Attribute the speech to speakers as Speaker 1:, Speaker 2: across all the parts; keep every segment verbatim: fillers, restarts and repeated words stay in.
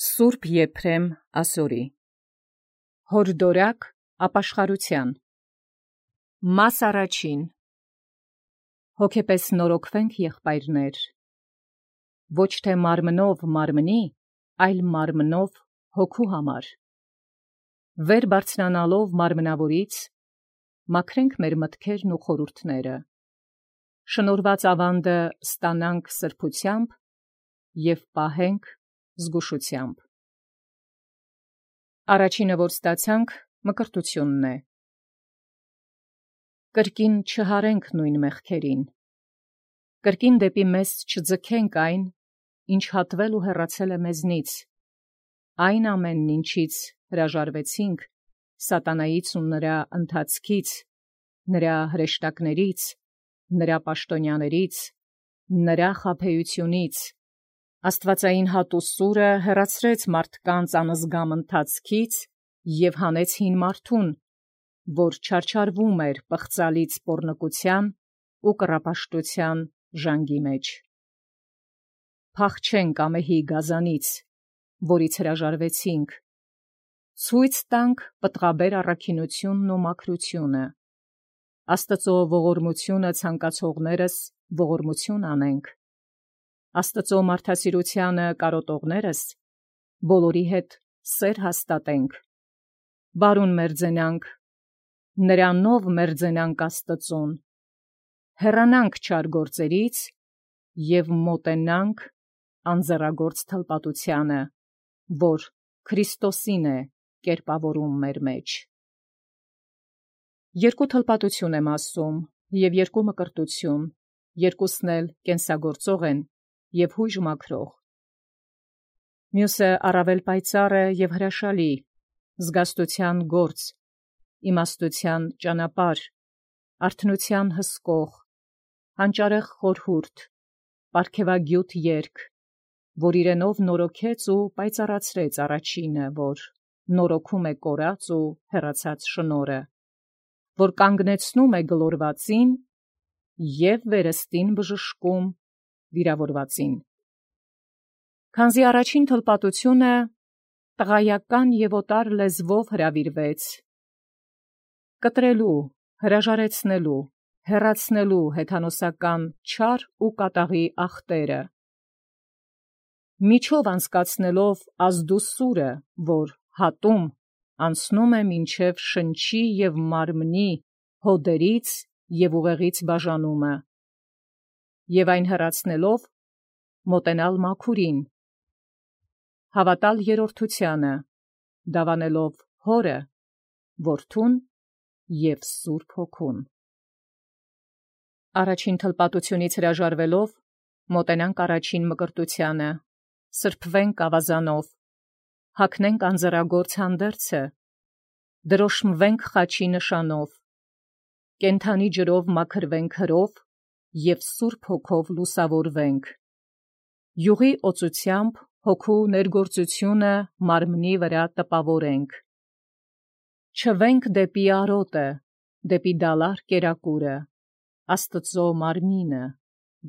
Speaker 1: Սուրբ Եփրեմ ասորի հորդորակ ապաշխարության մաս առաջին հոգեպես նորոգվենք եղբայրներ ոչ թե մարմնով մարմնի այլ մարմնով հոգու համար վեր բարձրանալով մարմնավորից մաքրենք մեր մտքերն ու խորհուրդները շնորհված ավանդը ստանանք սրբությամբ և պահենք զգուշությամբ առաջինը որ ստացանք մկրտությունն է կրկին չհարենք նույն մեղքերին կրկին դեպի մեզ չձգենք այն ինչ հատվել ու հեռացել է մեզնից այն ամենն ինչից հրաժարվեցինք սատանայից ու նրա ընթացքից նրա հրեշտակներից նրա պաշտոնյաներից նրա խաբեությունից Աստվածային հատ ու սուրը հեռացրեց մարդկանց անզգամ ընթացքից և հանեց հին մարդուն, որ չարչարվում էր պղծալից պոռնկության ու կռապաշտության ժանգի մեջ։ Փախչենք ամեհի գազանից, որից հրաժարվեցինք, ցույց տանք պտղաբեր առաքինությունն ու մաքրությունը, Աստծո ողորմությունը ցանկացողներս ողորմություն անենք, Աստծո մարդասիրությանը կարոտողներս բոլորի հետ սեր հաստատենք, բարուն մերձենանք, նրանով մերձենանք Աստծուն, հեռանանք չար գործերից և մոտենանք անձեռագործ թլպատությանը, որ Քրիստոսին է կերպավորում մեր մեջ։ Երկու թլպատություն եմ ասում և երկու մկրտություն, երկուսն էլ կենսագործող են և հույժ մաքրող։ Մյուսը առավել պայծառ է և հրաշալի, զգաստության գործ, իմաստության ճանապարհ, արթնության հսկող, հանճարեղ խորհուրդ, պարգևագյուտ երգ, որ իրենով նորոգեց ու պայծառացրեց առաջինը, որ նորոգում է կորած ու հեռացած շնորհը, որ կանգնեցնում է գլորվածին և վերստին բժշկում վիրավորվածին։ Քանզի առաջին թլպատությունը տղայական և օտար լեզվով հրավիրվեց, կտրելու, հրաժարեցնելու, հեռացնելու հեթանոսական չար ու կատաղի ախտերը, միջով անցկացնելով ազդու սուրը, որ հատում անցնում է մինչև շնչի և մարմնի հոդերից և ուղեղից բաժանումը, և այն հեռացնելով մոտենալ մաքուրին, հավատալ երրորդությանը, դավանելով Հորը, Որդուն և Սուրբ Հոգուն։ Առաջին թլպատությունից հրաժարվելով մոտենանք առաջին մկրտությանը, սրբվենք ավազանով, հագնենք անձեռագործ հանդերձը, դրոշմվենք խաչի նշանով, կենդանի ջրով մաքրվենք հրով և Սուրբ Հոգով լուսավորվենք, յուղի օծությամբ հոգու ներգործությունը մարմնի վրա տպավորենք, չվենք դեպի արոտը, դեպի դալար կերակուրը, Աստծո մարմինը,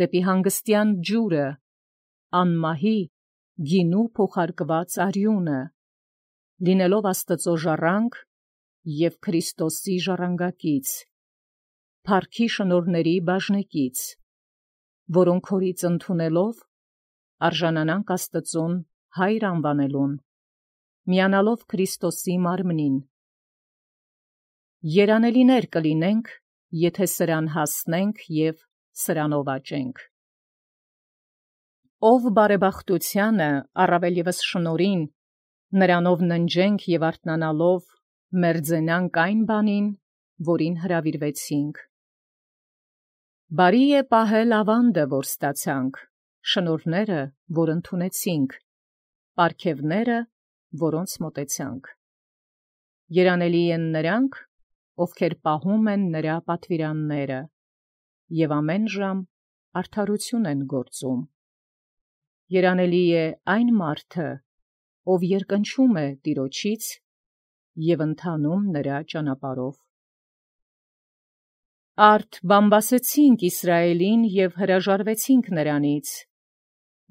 Speaker 1: դեպի հանգստյան ջուրը, անմահի գինու փոխարկված արյունը, լինելով Աստծո ժառանգ և Քրիստոսի ժառանգակից, փառքի շնորհների բաժնեկից, որոնք հորից ընդունելով արժանանանք Աստծուն հայր անվանելուն, միանալով Քրիստոսի մարմնին։ Երանելիներ կլինենք, եթե սրան հասնենք և սրանով աճենք։ Ով բարեբախտությանը, առավել ևս շնորհին, նրանով ննջենք և արթնանալով մերձենանք այն բանին, որին հրավիրվեցինք։ Բարի է պահել ավանդը, որ ստացանք, շնորհները, որ ընդունեցինք, պարգևները, որոնց մոտեցանք։ Երանելի են նրանք, ովքեր պահում են նրա պատվիրանները և ամեն ժամ արդարություն են գործում։ Երանելի է այն մարդը, ով երկնչում է Տիրոջից և ընթանում նրա ճանապարհով։ Արդ բամբասեցինք Իսրայելին և հրաժարվեցինք նրանից,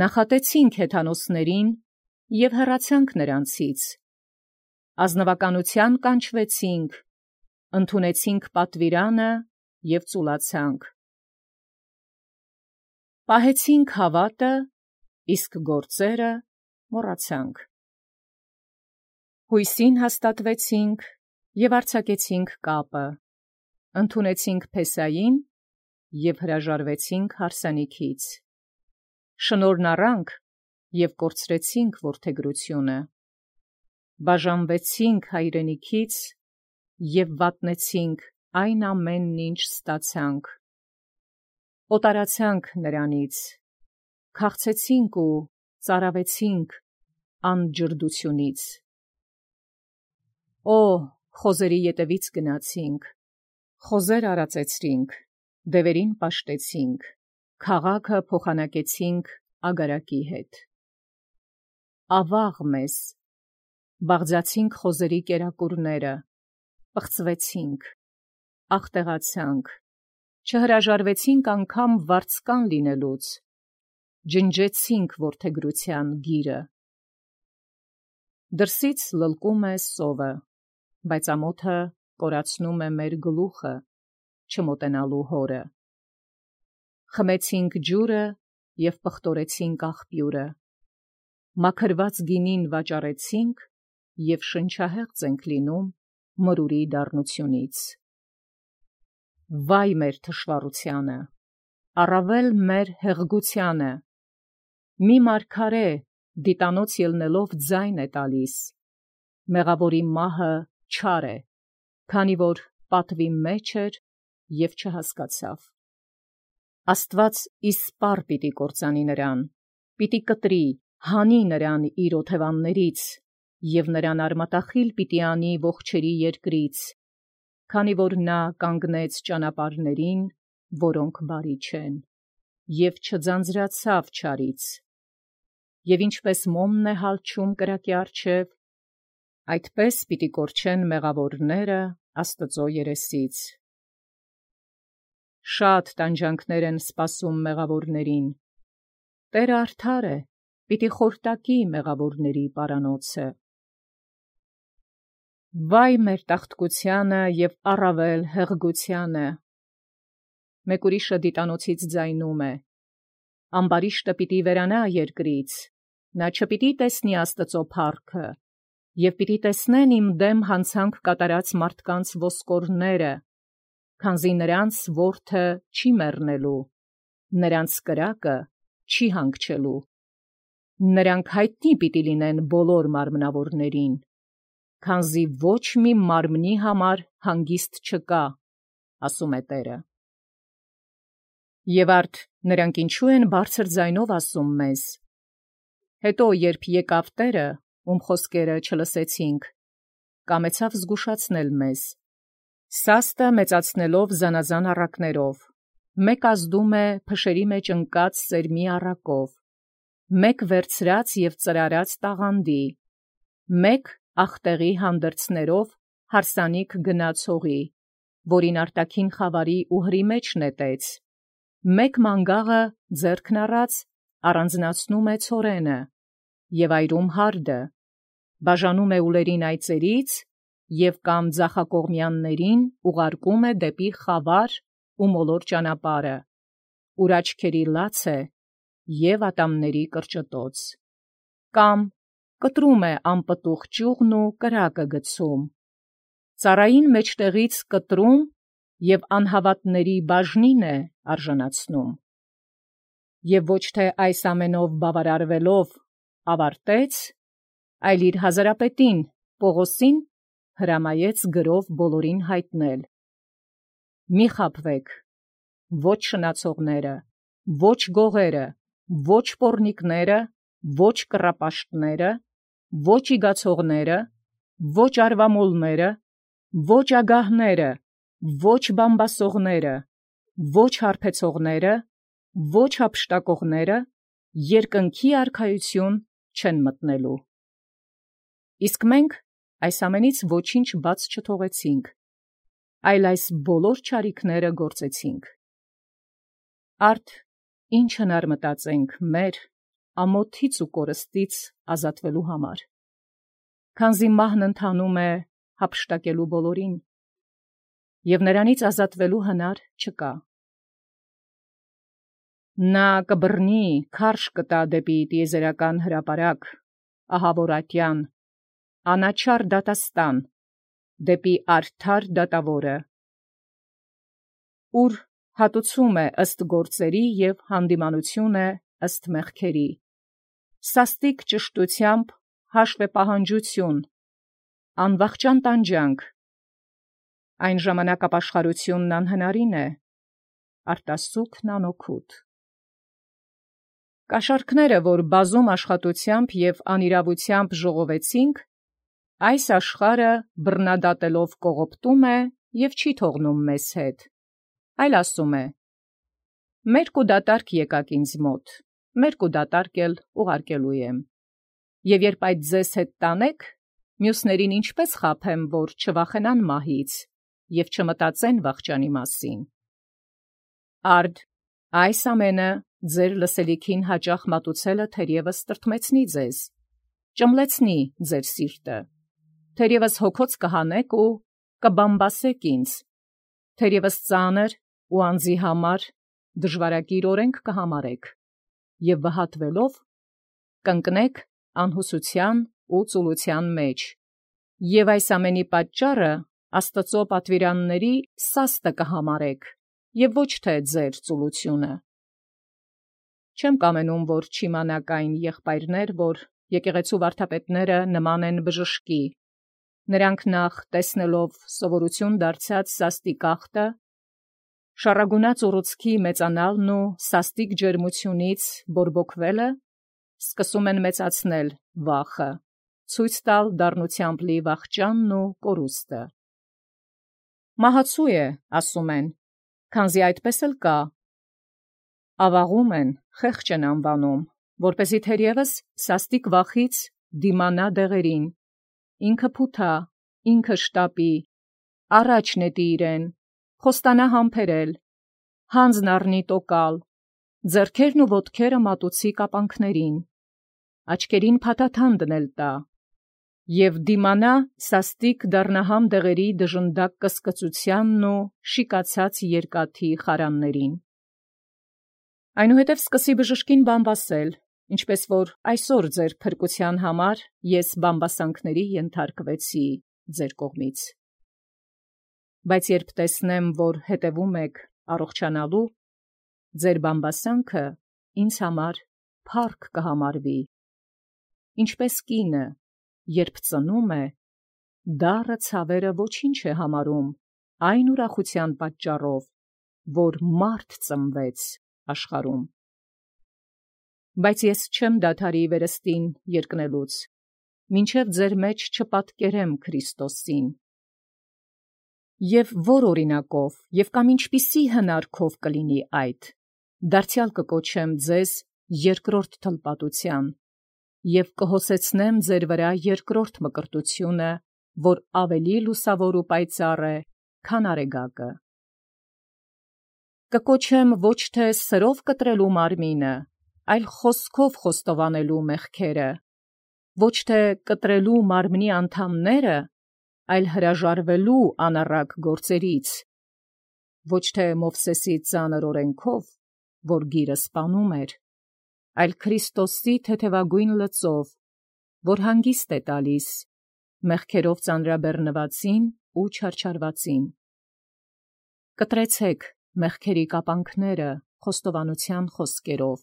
Speaker 1: նախատեցինք հեթանոսներին և հեռացանք նրանցից, ազնվականության կանչվեցինք, ընդունեցինք պատվիրանը և ծուլացանք, պահեցինք հավատը, իսկ գործերը մոռացանք, հույսին հաստատվեցինք և արձակեցինք կապը, ընդունեցինք Փեսային և հրաժարվեցինք հարսանիքից, շնորհն առանք և կորցրեցինք որդեգրությունը, բաժանվեցինք հայրենիքից և վատնեցինք այն ամենն, ինչ ստացանք, օտարացանք նրանից, քաղցեցինք ու ծարավեցինք անջրդությունից, օ, խոզերի ետևից գնացինք, խոզեր արածեցրինք, դևերին պաշտեցինք, քաղաքը փոխանակեցինք ագարակի հետ, ավաղ մեզ, բաղձացինք խոզերի կերակուրները, պղծվեցինք, աղտեղացանք, չհրաժարվեցինք անգամ վարձկան լինելուց, ջնջեցինք որդեգրության գիրը, դրսից լլկում է սովը, բայց ամոթը կորացնում է մեր գլուխը, չմոտենալու հորը, խմեցինք ջուրը և պղտորեցինք աղբյուրը, մաքրված գինին վաճառեցինք և շնչահեղձ ենք լինում մրուրի դառնությունից, վայ մեր թշվառությանը, առավել մեր հեղգությանը, մի մարգարե դիտանոց ելնելով ձայն է տալիս, մեղավորի մահը չար է, քանի որ պատվի մեջ էր և չհասկացավ, Աստված իսպառ պիտի կործանի նրան, պիտի կտրի, հանի նրան իր օթևաններից և նրան արմատախիլ պիտի անի ողջերի երկրից, քանի որ նա կանգնեց ճանապարհներին, որոնք բարի չեն, և չձանձրացավ չարից, և ինչպես մոմն է հալչում կրակի առջև, այդպես պիտի կորչեն մեղավորները Աստծո երեսից, շատ տանջանքներ են սպասում մեղավորներին, Տերը արդար է, պիտի խորտակի մեղավորների պարանոցը, վայ մեր տաղտկությանը և առավել հեղգությանը, մեկ ուրիշը դիտանոցից ձայնում է, ամբարիշտը պիտի վերանա երկրից, նա չպիտի տեսնի Աստծո փառքը, և պիտի տեսնեն իմ դեմ հանցանք կատարած մարդկանց ոսկորները, քանզի նրանց որդը չի մեռնելու, նրանց կրակը չի հանգչելու, նրանք հայտնի պիտի լինեն բոլոր մարմնավորներին, քանզի ոչ մի մարմնի համար հանգիստ չկա, ասում է Տերը։ Եվ արդ նրանք ինչու են բարձր ձայնով ասում մեզ. հետո երբ եկավ Տերը, ում խոսքերը չլսեցինք, կամեցավ զգուշացնել մեզ, սաստը մեծացնելով զանազան առակներով, մեկ ազդում է փշերի մեջ ընկած սերմի առակով, մեկ վերցրած և ծրարած տաղանդի, մեկ ախտեղի հանդերձներով հարսանիք գնաց հողի, որին արտաքին խավարի ուհրի մեջ նետեց, մեկ մանգաղը ձեռքն առած առանձնացնում է ցորենը և այրում հարդը, բաժանում է ուլերին այծերից և կամ ձախակողմյաններին ուղարկում է դեպի խավար ու մոլոր ճանապարհը, ուր աչքերի լաց է և ատամների կրճտոց, կամ կտրում է անպտուղ ճյուղն ու կրակը գցում, ծառային մեջտեղից կտրում և անհավատների բաժնին է արժանացնում, և ոչ թե այս ամենով բավարարվելով ավարտեց, այլ իր հազարապետին Պողոսին հրամայեց գրով բոլորին հայտնել. մի խաբվեք, ոչ շնացողները, ոչ գողերը, ոչ պոռնիկները, ոչ կռապաշտները, ոչ իգացողները, ոչ արվամոլները, ոչ ագահները, ոչ բամբասողները, ոչ հարբեցողները, ոչ հափշտակողները երկնքի արքայություն չեն մտնելու։ Իսկ մենք այս ամենից ոչինչ բաց չթողեցինք, այլ այս բոլոր չարիքները գործեցինք։ Արդ ի՞նչ հնար մտածենք մեր, ամոթից ու կորստից ազատվելու համար։ Քանզի մահն ընթանում է հափշտակելու բոլորին, և նրանից ազատվելու հնար չկա։ Նա կբռնի քարշ կտա դեպի տիեզերական հրապարակ, ահավոր ատյան, անաչառ դատաստան, դեպի արդար դատավորը, ուր հատուցում է ըստ գործերի և հանդիմանություն է ըստ մեղքերի, սաստիկ ճշտությամբ հաշվեպահանջություն, անվախճան տանջանք, այն ժամանակ ապաշխարությունն անհնարին է, արտասուքն անօգուտ։ Կաշառքները, որ բազում աշխատությամբ և անիրավությամբ ժողովեցինք, այս աշխարհը բռնադատելով կողոպտում է և չի թողնում մեզ հետ, այլ ասում է. «Մերկ ու դատարկ եկաք ինձ մոտ, մերկ ու դատարկ էլ ուղարկելու եմ, և երբ այդ ձեզ հետ տանեք, մյուսներին ինչպես խաբեմ, որ չվախենան մահից և չմտածեն վախճանի մասին։ Արդ այս ամենը ձեր լսելիքին հաճախ մատուցելը թերևս տրտմեցնի ձեզ, ճմլեցնի ձեր սիրտը, թերևս հոգոց կհանեք ու կբամբասեք ինձ, թերևս ծանր ու անձի համար դժվարակիր օրենք կհամարեք, և վհատվելով կընկնեք անհուսության ու ծուլության մեջ, և այս ամենի պատճառը Աստծո պատվիրանների սաստը կհամարեք, և ոչ թե ձեր ծուլությունը։ Չեմ կամենում, որ չիմանաք այն եղբայրներ, որ եկեղեցու վարդապետները նման են բժշկի, նրանք նախ տեսնելով սովորություն դարձած սաստիկ ախտը, շառագունած ուռուցքի մեծանալն ու սաստիկ ջերմությունից բորբոքվելը, սկսում են մեծացնել վախը, ցույց տալ դառնությամբ լի վախճանն ու կորուստը։ Մահացու է, ասում են, քանզի այդպես էլ կա, ավաղում են, խեղճ են անվանում, որպեսզի թերևս սաստիկ վախից դիմանա դեղերին, ինքը փութա, ինքը շտապի, առաջ նետի իրեն, խոստանա համբերել, հանձն առնի տոկալ, ձեռքերն ու ոտքերը մատուցի կապանքներին, աչքերին փաթաթան դնել տա, և դիմանա սաստիկ դառնահամ դեղերի դժնդակ կսկծությանն ու շիկացած երկաթի խարաններին։ Այնուհետև սկսի բժշկին բամբասել, ինչպես որ այսօր ձեր փրկության համար ես բամբասանքների ենթարկվեցի ձեր կողմից։ Բայց երբ տեսնեմ, որ հետևում եք առողջանալու, ձեր բամբասանքը ինձ համար փառք կհամարվի, ինչպես կինը, երբ ծնում է, դառը ցավերը ոչինչ է համարում այն ուրախության պատճառով, որ մարդ ծնվեց աշխարհում։ Բայց ես չեմ դադարի վերստին երկնելուց, մինչև ձեր մեջ չպատկերեմ Քրիստոսին։ Եվ որ օրինակով և կամ ինչպիսի հնարքով կլինի այդ, դարձյալ կկոչեմ ձեզ երկրորդ թլպատության, և կհոսեցնեմ ձեր վրա երկրորդ մկրտությունը, որ ավելի լուսավոր ու պայծառ է, քան արեգակը։ Կկոչեմ ոչ թե սրով կտրելու մարմինը, այլ խոսքով խոստովանելու մեղքերը, ոչ թե կտրելու մարմնի անդամները, այլ հրաժարվելու անառակ գործերից, ոչ թե Մովսեսի ծանր օրենքով, որ գիրը սպանում էր, այլ Քրիստոսի թեթևագույն լծով, որ հանգիստ է տալիս մեղքերով ծանրաբեռնվածին ու չարչարվածին։ Կտրեցեք մեղքերի կապանքները խոստովանության խոսքերով,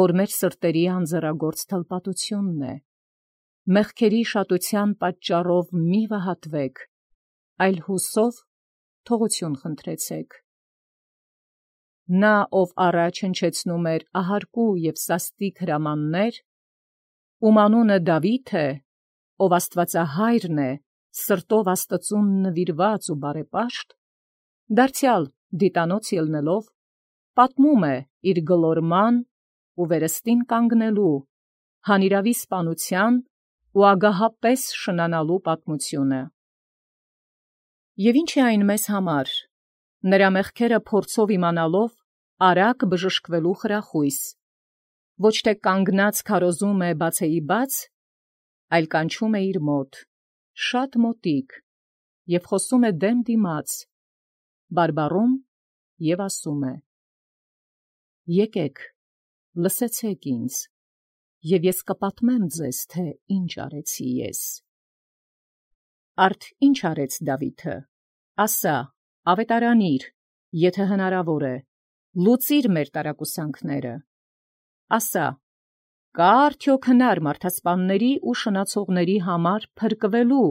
Speaker 1: որ մեր սրտերի անձեռագործ թլպատությունն է, մեղքերի շատության պատճառով մի վհատվեք, այլ հուսով թողություն խնդրեցեք։ Նա, ով առաջ հնչեցնում էր ահարկու և սաստիկ հրամաններ, ում անունը Դավիթ է, ով Աստվածահայրն է, սրտով Աստծուն նվիրված ու բարեպաշտ, դարձյալ դիտանոց ելնելով, պատմում է իր գլորման ու վերստին կանգնելու, հանիրավի սպանության ու ագահապես շնանալու պատմությունը։ Եվ ինչ է այն մեզ համար, նրա մեղքերը փորձով իմանալով, արագ բժշկվելու խրախույս, ոչ թե կանգնած քարոզում է բացեի բաց, այլ կանչում է իր մոտ, շատ մոտիկ, և խոսում է դեմ դիմաց, բարբառում և ասում է. «Եկեք, լսեցեք ինձ, և ես կպատմեմ ձեզ, թե ինչ արեցի ես»։ Արդ ինչ արեց Դավիթը, ասա, ավետարանիր, եթե հնարավոր է, լուծիր մեր տարակուսանքները, ասա, կա՞ արդյոք հնար մարդասպանների ու շնացողների համար փրկվելու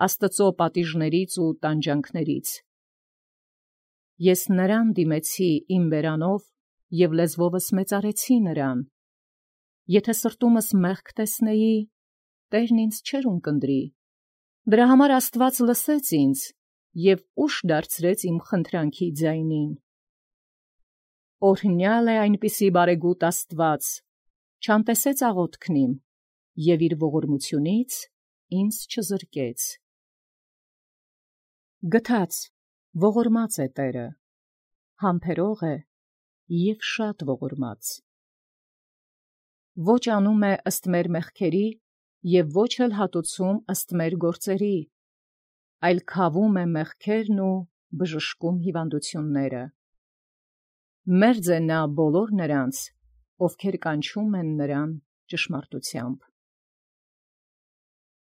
Speaker 1: Աստծո պատիժներից ու տանջանքներից։ Ես նրան դիմեցի իմ բերանով և լեզվովս մեծարեցի նրան. եթե սրտումս մեղք տեսնեի, Տերն ինձ չէր ունկնդրի, դրա համար Աստված լսեց ինձ և ուշ դարձրեց իմ խնդրանքի ձայնին։ Օրհնյալ է այնպիսի բարեգութ Աստված, չանտեսեց աղոթքն իմ և իր ողորմությունից ինձ չզրկեց։ Գթած, ողորմած է Տերը, համբերող է և շատ ողորմած։ Ոչ անում է ըստ մեր մեղքերի և ոչ էլ հատուցում ըստ մեր գործերի, այլ քավում է մեղքերն ու բժշկում հիվանդությունները։ Մերձ է նա բոլոր նրանց, ովքեր կանչում են նրան ճշմարտությամբ։